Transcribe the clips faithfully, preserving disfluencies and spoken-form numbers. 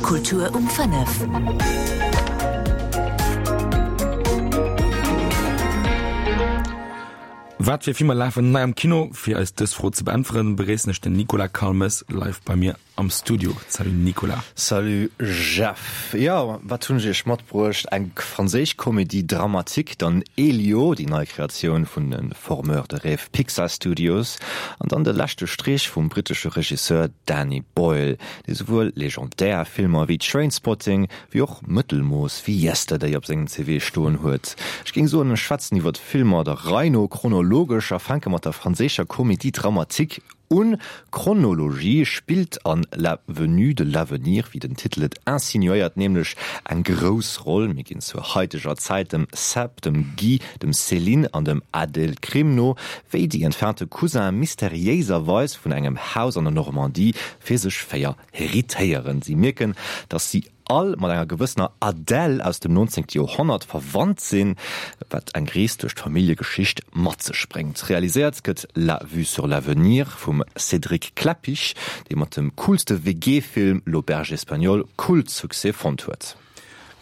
Kultur um fënnef. Wat fir Filmer lafen nei am Kino? Fir eis dës Fro ze beäntweren, begréissen ech den Nicolas Calmes live bei mir am Studio. Salut Nicolas. Salut Jeff. Jo, wat hunn ech iech matbruecht? Eng franséisch Comédie dramatique, dann Elio, déi nei Kreatioun vun de Formeurs de rêves Pixar Studios, an dann de leschte Streech vum brittesche Regisseur Danny Boyle, dee souwuel legendär Filmer wéi Trainspotting, wéi och Mëttelmooss wéi Yesterday op sengem C V stoen huet. Ech géing soen, ech schwätzen iwwer d'Filmer der Rei no, chronologesch, a fänke mat der franséischer Comédie dramatique un. Chronologie spillt an La venue de l'avenir, wéi den Titel et insinuéiert, nämlech eng grouss Roll. Mir ginn zur haiteger Zäit dem Seb, dem Guy, dem Céline an dem Adèle Krim no, wéi déi entfernte Cousin mysteriéiserweis vun engem Haus an der Normandie fir sech véier heritéieren. Si mierken, dass si all mat enger gewëssener Adèle aus dem nonzéngte Joerhonnert verwannt sinn, wat eng Rees duerch d'Familljegeschicht mat sech bréngt. Realiséiert gëtt La vue sur l'avenir vum Cédric Klapisch, dee mat dem coolste W G-Film L'Auberge espagnole Kultsuccès fonnt huet.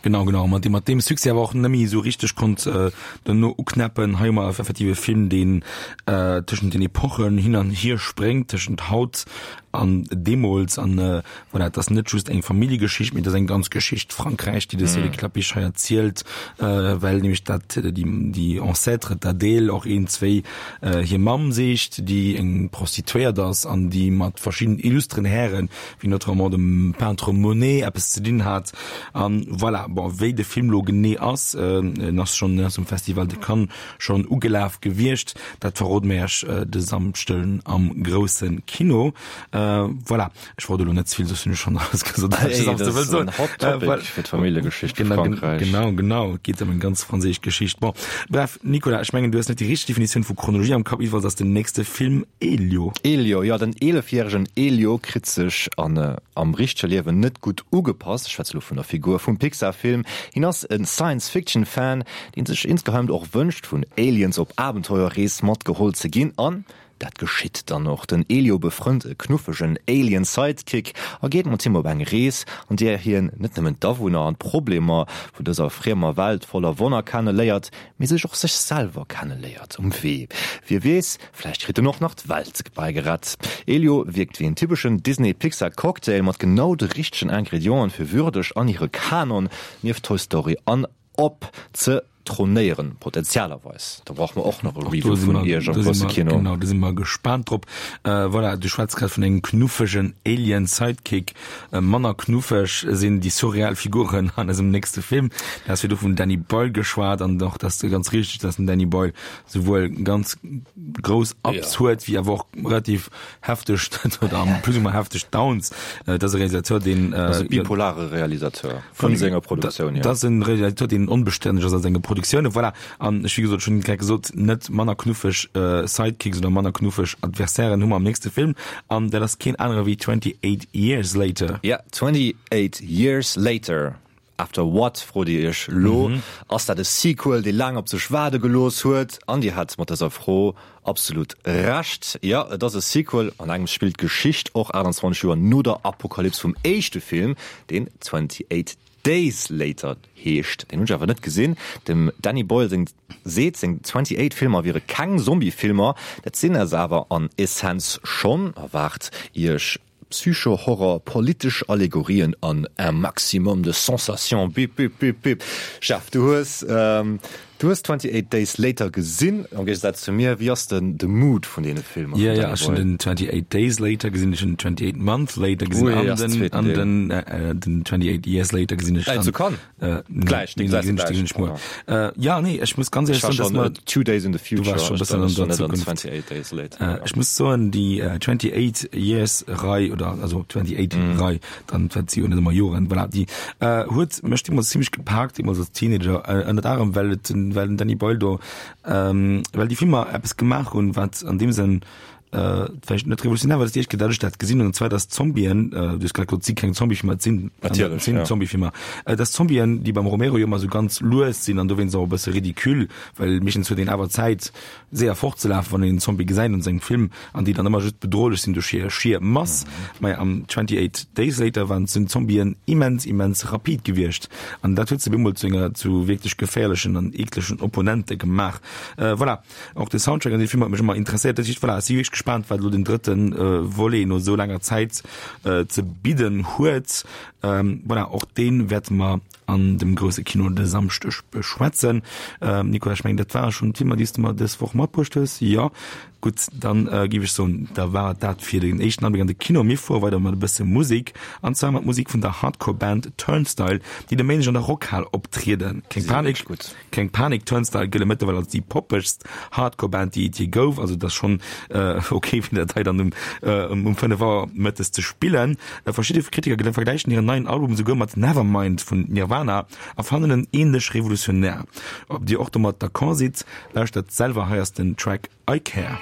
Genau, genau, mat deem, mat deem Succès awer och nëmme esou richteg konnt äh, duerno uknäppen. Hei hu mer effektiv e Film, deen äh, tëschent den Epochen hin an hier spréngt, tëschent haut an deemools. An äh, voilà, et ass net just eng Familljegeschicht, mee et ass eng ganz Geschicht Frankräich, déi de Cédric Klapisch hei erzielt, äh, well nämlech dat déi, déi Ancêtre, d'Adèle, och een, zwéi äh, hir Mamm sicht, déi eng Prostituéiert ass an déi mat verschiddenen illustren Hären, wéi notamment dem Peintre Monet, eppes ze dinn hat. An voilà, bon, wéi de Film lo genee ass, en ass schonn ass um Festival de Cannes schonn ugelaf gewiescht, dat verrode mir iech de Samschden am grousse Kino. Voilà, ech wollt elo net ze vill, soss hunn ech schonn alles gesot, wat ech de Samschde wëll soen. Hot Topic fir d'Familljegeschicht vu Frankräich. Genau, genau, et geet ëm eng ganz franséisch Geschicht. Bon, bref, Nicolas, ech mengen, du hues net déi richteg Definitioun vu Chronologie am Kapp, iwweralls ass den nächste Film Elio. Elio, jo, den eelefjäregen Elio kritt sech an am richtege Liewen net gutt ugepasst. Ech schwätze lo vun der Figur vum Pixar-Film. Hien ass e Science-Fiction-Fan, dee sech insgeheim och wënscht, vun Aliens op Abenteuerrees matgeholl ze ginn. An dat geschitt dann och. Den Elio befrënnt e knuffegen Alien-Sidekick a geet mat him op eng Rees, an där hien net nëmmen d'Awunner an d'Problemer vun dëser friemer Welt voller Wonner kenne léiert, mee sech och sech selwer kenne léiert um Wee. Wie weess, vläicht kritt en och nach d'Welt bäigerett. Elio wierkt wéi en typeschen Disney-Pixar-Cocktail mat genau de richtegen Ingredienten, fir würdeg an hire Kanon nieft Toy Story an Up ze tronéieren, potenzialerweis. Da brauche mer och nach e Review vun Iech am grousse Kino. Genau, do si mer gespaant drop. Voilà, du schwätz grad vun engem knuffegen Alien-Sidekick. Manner knuffeg sinn déi surreal Figuren an eisem nächste Film. Du has virdu vum Danny Boyle geschwat an och dat ass ganz richteg, dass den Danny Boyle souwuel ganz grouss Ups huet, wéi awer och relativ hefteg oder plus ou moins hefteg Downs. Et ass e Realisateur, deen. Ass e bipolare Realisateur vun senger Produktioun hier. Dat ass e Realisateur, deen onbestänneg ass a senge Produktiounen. Voilà. An ech, wéi gesot, ech hunn grad gesot, net manner knuffeg Sidekicks oder manner knuffeg Adversairen hu mer am nächste Film. An dat ass keen anere wéi Twenty Eight Years Later. Ja, Twenty Eight Years Later. After What, frot Dir Iech elo. Ass dat e Sequel, dee laang op sech waarde gelooss huet? An Dir hat mat dëser Fro absolut Recht. Jo, et ass e Sequel. An engems spillt d'Geschicht och aachtanzwanzeg Joer no der Apokalyps vum éischte Film, deen Twenty Eight Days Later heescht. Deen hunn ech awer net gesinn. Dem Danny Boyle seng seet, seng Twenty Eight Filmer wiere keng Zombie-Filmer. Dat sinn se awer an Essenz schonn. Erwaart Iech Psycho-Horror, politesch Allegorien an un maximum de sensations. Bip, bip, bip, bip. Jeff, du hues, du hues Twenty Eight Days Later gesinn, am Géigesaz zu mir. Wéi ass denn de Mood vun deene Filmer vum Danny Boyle? Jo, jo, ech hunn den Twenty Eight Days Later gesinn, ech hunn den Twenty Eight Months Later gesinn an den, an den, den Twenty Eight Years Later gesinn ech dann. Zu Cannes? Gläich, déi gesäis de gläich. Jo, nee, ech muss ganz éierlech soen, dass mer. Two Days in the Future. Du waars scho e bëssen an der Zukunft. Twenty Eight Days Later. Ech muss soen, déi Twenty Eight Years Rei oder also Twenty Eight Rei, dann wat si jo net ëmmer Joren, voilà, déi huet mech deemools zimmlech gepaakt, deemools als Teenager, ënnert anerem well et den, well den Danny Boyle do, well déi Filmer eppes gemaach hunn, wat an deem Sënn vläicht net revolutionär, well et déi éischt Kéier, datt ech dat gesinn hunn, an zwar datt Zombien, du hues grad gesot, et si keng Zombiefilmer, et sinn Natierlech, sinn ja. Zombiefilmer, datt Zombien, déi beim Romero jo ëmmer esou ganz lues sinn an dowéinst och e bësse ridicule, well meeschtens huet een awer Zäit séier fortzelafen, wann een en Zombie gesäit an sengem Film, an déi dann ëmmer just bedrohlech sinn duerch hir schier Mass. Maja, am twenty-eight Days Later waren sinn d'Zombien immens, immens rapid gewiescht an dat huet se bemol zu enger zu wierklech geféierlechen an eeklegen Opponente gemaach. Voilà, och de Soundtrack an deem Film huet mech ëmmer interesséiert. Dat heescht, voilà, ech si wierklech gespaant, wat elo den drëtte Volet no esou laanger Zäit ze bidden huet. Voilà, och dee wäerte mer an dem grousse Kino de Samschdeg beschwätzen. Nicolas, ech mengen, dat ware schonn d'Filmer, déi s de mer dës Woch matbruecht hues. Jo, gutt, dann géif ech soen, da war et dat fir den éischten Abléck an de Kino. Mir fuere weider mat e bësse Musek, an zwar mat Musek vun der Hardcore-Band Turnstile, déi de Méindeg an der Rockhal optrieden. Keng Panik, keng Panik, Turnstile gëlle mëttlerweil als déi poppegst Hardcore-Band, déi et jee gouf. Also et ass schonn ok, fir dat hei dann um um fënnef Auer mëttes ze spillen. Verschidde Kritiker vergläichen hiren neien Album esouguer mat Nevermind vun Nirvana a fannen en ähnlech revolutionär. Ob dir och domat d'accord sidd, lauschtert selwer, hei ass den Track I Care.